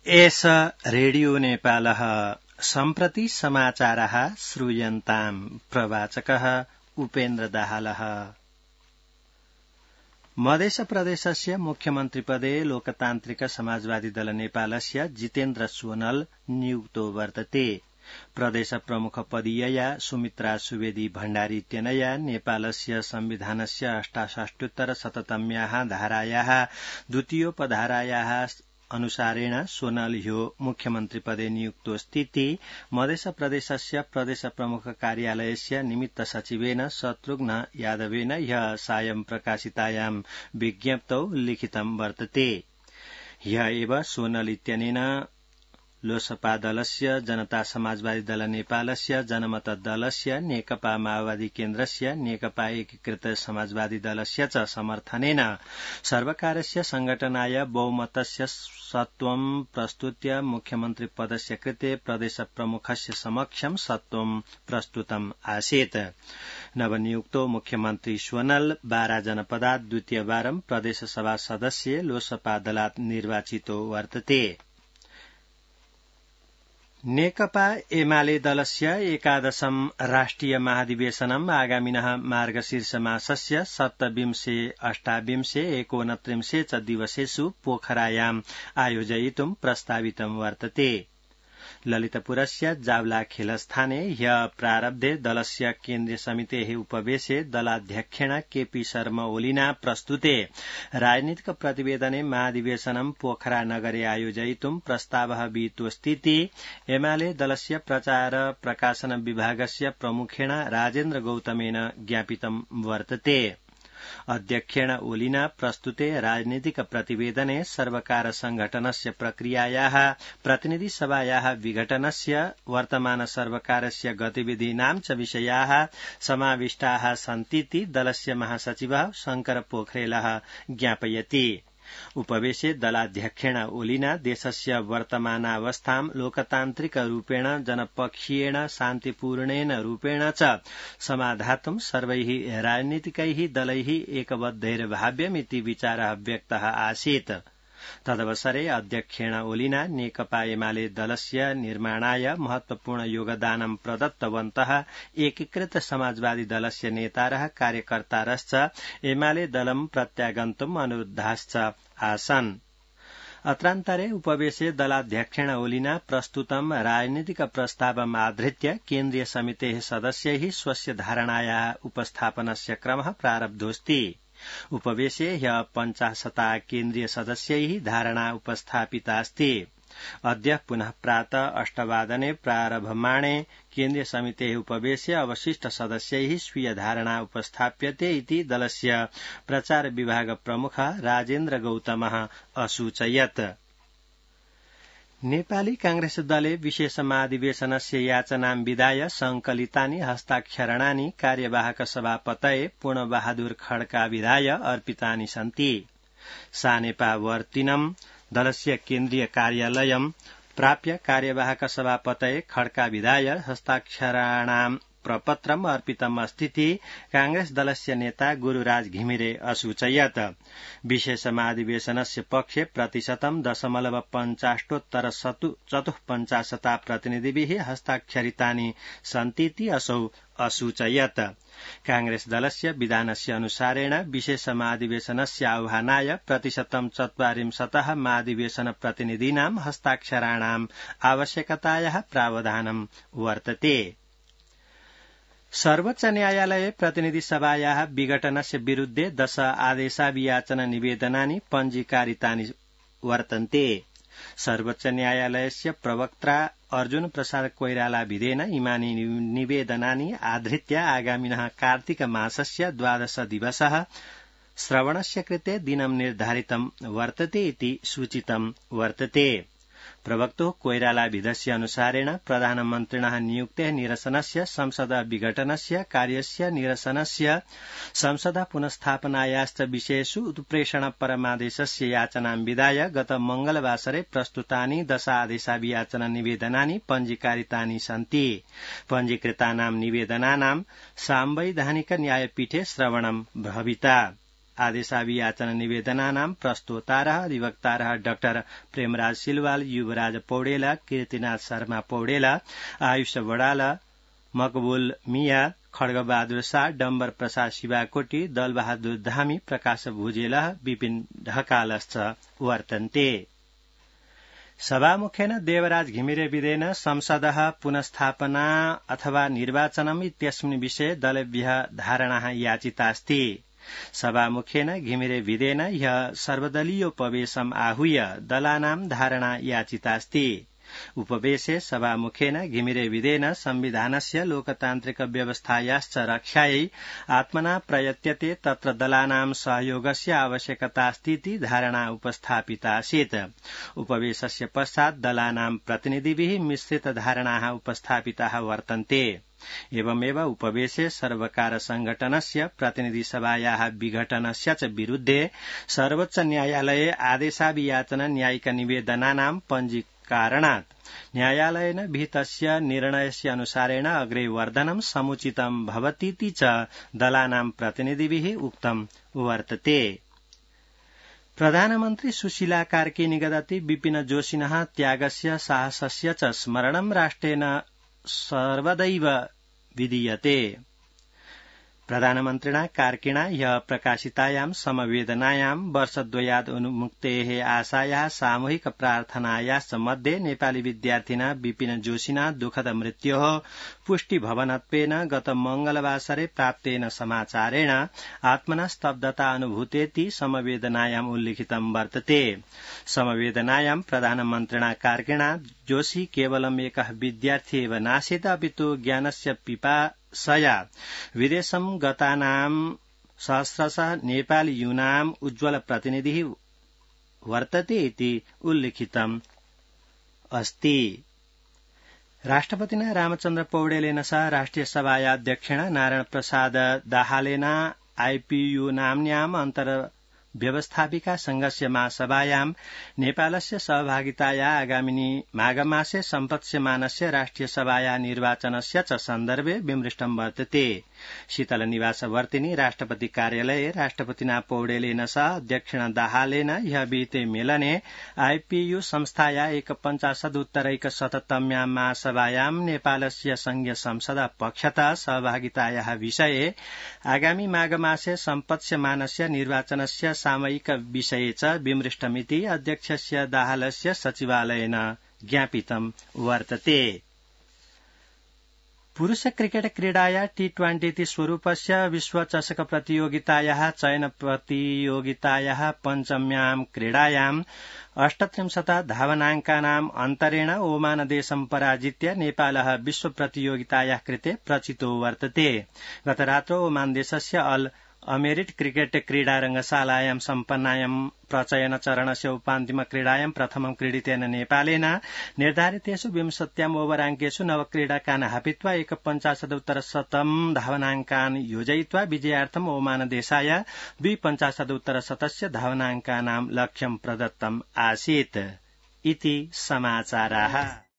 एष रेडियो नेपालः सम्प्रति समाचारः श्रूयन्ताम् प्रवाचकः उपेन्द्र दाहालः। मध्य प्रदेशस्य मुख्यमन्त्रिपदे लोकतान्त्रिक समाजवादी दल नेपालस्य जितेन्द्र सोनल नियुक्तो वर्तते। प्रदेश प्रमुख पदीयया सुमित्रा सुवेदी भण्डारी इत्यनया नेपालस्य संविधानस्य 68-शततम्याः धारायाः द्वितीयोपधारायाः अनुसारेण सोनल ह्यो मुख्यमन्त्रिपदे नियुक्तोऽस्तीति मध्य प्रदेशस्य प्रदेश प्रमुख कार्यालयस्य निमित्त सचिवेन शत्रुघ्न यादवेन ह्यः सायं प्रकाशितायां विज्ञप्तौ लिखितं वर्तते। ह्यः एव सोनल इत्यनेन लोसपा दलस्य जनता समाजवादी दल नेपालस्य जनमत दलस्य नेकपा माओवादी केन्द्रस्य नेकपा एकीकृत समाजवादी दलस्य च समर्थनेन सर्वकारस्य संघटनाय बहुमतस्य सत्त्वं प्रस्तुत्य मुख्यमन्त्री पदस्य कृते प्रदेश प्रमुखस्य समक्षं सत्त्वं प्रस्तुतम् आसीत्। नवनियुक्तो मुख्यमन्त्री सोनल बारा जनपदात् द्वितीयवारं प्रदेशसभा सदस्य लोसपा दलात् निर्वाचितो वर्तते। नेकपा एमाले दलस्य एकादशं राष्ट्रिय महाधिवेशनम् आगामिनः मार्गशीर्ष मासस्य 27, 28, 29 च दिवसेषु पोखरायाम् आयोजयितुं प्रस्तावितं वर्तते। ललितपुरस्य जावला खेलस्थाने ह्यः प्रारब्धे दलस्य केन्द्रीय समितेः उपवेशे दलाध्यक्षेण केपी शर्मा ओलिना प्रस्तुते राजनीतिक प्रतिवेदने महाधिवेशनं पोखरा नगरे आयोजयितुं प्रस्तावः विहितोऽस्तीति एमाले दलस्य प्रचार प्रकाशन विभागस्य प्रमुखेण राजेन्द्र गौतमेन ज्ञापितं वर्तते। अध्यक्षेण ओलिना प्रस्तुते राजनीतिक प्रतिवेदने सर्वकार संघटनस्य प्रक्रियायाः प्रतिनिधि सभायाः विघटनस्य वर्तमान सर्वकारस्य गतिविधीनां च विषयाः समाविष्टाः सन्तीति दलस्य महासचिवः शंकर पोखरेलः ज्ञापयति। उपवेशे दलाध्यक्षेण ओलिना देशस्य वर्तमानावस्थां लोकतान्त्रिक रूपेण जनपक्षीयेण शान्तिपूर्णेन रूपेण च समाधातुं सर्वैः राजनीतिकैः दलैः एकबद्धैर्भाव्यमिति विचारः व्यक्तः आसीत्। तदवसरे अध्यक्षेण ओलिना नेकपा एमाले दलस्य निर्माणाय महत्वपूर्ण योगदानं प्रदत्तवन्तः एकीकृत समाजवादी दलस्य नेतारः कार्यकर्तारश्च एमाले दलं प्रत्यागन्तुम् अनुरुद्धाश्च आसन्। अत्रान्तरे उपवेशे दलाध्यक्षेण ओलिना प्रस्तुतं राजनीतिक प्रस्तावम् आधृत्य केन्द्रीय समितेः सदस्यैः स्वस्य धारणायाः उपस्थापनस्य क्रमः प्रारब्धोऽस्ति। उपवेशे ह्यः 50 केन्द्रीय सदस्यैः धारणा उपस्थापितास्ति। अद्य पुनः प्रातः 8 वादने प्रारभमाणे केन्द्रीय समितेः उपवेशे अवशिष्ट सदस्यैः स्वीय धारणा उपस्थाप्यते इति दलस्य प्रचार विभाग प्रमुख राजेन्द्र गौतमः असूचयत्। नेपाली कांग्रेस दले विशेष महाधिवेशनस्य याचनां विधाय संकलितानि हस्ताक्षरणानि कार्यवाहक सभापतये पूर्णबहादुर खड्का विधाय अर्पितानि सन्ति। सानेपावर्तिनं दलस्य केन्द्रीय कार्यालयं प्राप्य कार्यवाहक सभापतये खड्का विधाय हस्ताक्षराणां प्रपत्रम् अर्पितम् अस्तीति कांग्रेस दलस्य नेता गुरुराज घिमिरे असूचयत्। विशेष महाधिवेशनस्य पक्षे प्रतिशतं 0.50 प्रतिनिधिभिः हस्ताक्षरितानि सन्तीति असौ असूचयत्। कांग्रेस दलस्य विधानस्य अनुसारेण विशेष महाधिवेशनस्य आह्वानाय प्रतिशतं 40 महाधिवेशन प्रतिनिधीनां हस्ताक्षराणाम् आवश्यकतायाः प्रावधानं वर्तते। सर्वोच्च न्यायालये प्रतिनिधि सभायाः विघटनस्य विरुद्धे 10 आदेशाभियाचन निवेदनानि पञ्जीकारितानि वर्तन्ते। सर्वोच्च न्यायालयस्य प्रवक्त्रा अर्जुन प्रसाद कोइराला विधेन इमानि निवेदनानि आधृत्य आगामिनः कार्तिक मासस्य 12 दिवसः श्रवणस्य कृते दिनं निर्धारितं वर्तते इति सूचितं वर्तते। प्रवक्तो कोइराला विधस्य अनुसारेण प्रधानमन्त्रिणः नियुक्तेः निरसनस्य संसद विघटनस्य कार्यस्य निरसनस्य संसद पुनस्थापनायाश्च विषयेषु उत्प्रेषण परमादेशस्य याचनां विधाय गत मंगलवासरे प्रस्तुतानि 10 आदेशाभियाचन निवेदनानि पञ्जीकारितानि सन्ति। पञ्जीकृतानां निवेदनानां सांवैधानिक न्यायपीठे श्रवणं भविता। आदेशाभियाचन निवेदनानां प्रस्तोतारः अधिवक्तारः डाक्टर प्रेमराज सिलवाल, युवराज पौडेल, कीर्तिनाथ शर्मा पौडेल, आयुष बडाल, मकबुल मिया, खड्गबहादुर शाह, डम्बर प्रसाद शिवाकोटी, दलबहादुर धामी, प्रकाश भुजेल, विपिन ढकालश्च वर्तन्ते। सभामुखेन देवराज घिमिरे विधेन संसदः पुनस्थापना अथवा निर्वाचनम् इत्यस्मिन् विषये दलेभ्यः धारणाः याचितास्ति। सभामुखेन घिमिरे विधेन ह्यः सर्वदलीयोपवेशम् आहूय दलानां धारणा याचितास्ति। उपवेशे सभामुखेन घिमिरे विधेन संविधानस्य लोकतान्त्रिक व्यवस्थायाश्च रक्षायै आत्मना प्रयत्यते तत्र दलानां सहयोगस्य आवश्यकतास्तीति धारणा उपस्थापितासीत्। उपवेशस्य पश्चात् दलानां प्रतिनिधिभिः मिश्रित धारणाः उपस्थापिताः वर्तन्ते। एवमेव उपवेशे सर्वकार संघटनस्य प्रतिनिधिसभायाः विघटनस्य च विरुद्धे सर्वोच्च न्यायालये आदेशाभियाचन न्यायिक निवेदनानां कारणात् न्यायालयेन विहितस्य निर्णयस्य अनुसारेण अग्रे वर्धनं समुचितं भवतीति च दलानां प्रतिनिधिभिः उक्तं वर्तते। प्रधानमन्त्री सुशीला कार्की निगदति विपिन जोशिनः त्यागस्य साहसस्य च स्मरणं राष्ट्रेण सर्वदैव विधीयते। प्रधानमन्त्रिणा कार्किणा ह्यः प्रकाशितायां समवेदनायां वर्षद्वयात् उन्मुक्तेः आशायाः सामूहिक प्रार्थनायाश्च मध्ये नेपाली विद्यार्थिना विपिन जोशिना दुःखद मृत्योः पुष्टिभवनत्वेन गत मंगलवासरे प्राप्तेन समाचारेण आत्मना स्तब्धता अनुभूतेति समवेदनायाम् उल्लिखितं वर्तते। समवेदनायां प्रधानमन्त्रिणा कार्किणा जोशी केवलम् एकः विद्यार्थी एव नासीत् अपितु ज्ञानस्य पिपासया विदेशं गतानां सहस्रशः नेपाली यूनाम् उज्ज्वल प्रतिनिधिः वर्तते इति उल्लिखितम् अस्ति। राष्ट्रपतिना रामचन्द्र पौडेलेन सह राष्ट्रिय सभायाध्यक्षेण नारायण प्रसाद दाहालेन आईपीयू नाम्न्याम् व्यवस्थापिका संघस्य महासभायां नेपालस्य सहभागिताया आगामिनी माघमासे सम्पत्स्यमानस्य राष्ट्रिय सभाया निर्वाचनस्य च सन्दर्भे विमृष्टं वर्तते। शीतल निवासवर्तिनी राष्ट्रपति कार्यालये राष्ट्रपतिना पौडेलेन सह अध्यक्षेण दाहालेन ह्यः विहिते मेलने आईपीयू संस्थाया 150-उत्तरैकशततम्यां महासभायां नेपालस्य संघीय संसद पक्षतः सहभागितायाः विषये आगामी माघमासे सम्पत्स्यमानस्य निर्वाचनस्य सामयिक विषये च विमृष्टमिति अध्यक्षस्य दाहालस्य सचिवालयेन ज्ञापितं वर्तते। पुरुष क्रिकेट क्रीडाया T20 इति स्वरूपस्य विश्वचषक प्रतियोगितायाः चयन प्रतियोगितायाः पञ्चम्यां क्रीडायां 38 धावनाङ्कानाम् अन्तरेण ओमान देशं पराजित्य नेपालः विश्व प्रतियोगितायाः कृते प्रचितो वर्तते। गतरात्रौ ओमान देशस्य अल अमेरिट क्रिकेट क्रीडा रंगशालायां सम्पन्नायां प्रचयन चरणस्य उपान्तिम क्रीडायां प्रथमं क्रीडितेन नेपालेन निर्धारितेषु 20 ओभराङ्केषु 9 क्रीडकान् हापित्वा 150-उत्तरशतं धावनाङ्कान् योजयित्वा विजयार्थम् ओमान देशाय 250-उत्तरशतस्य धावनाङ्कानां लक्ष्यं प्रदत्तम् आसीत् इति समाचाराः।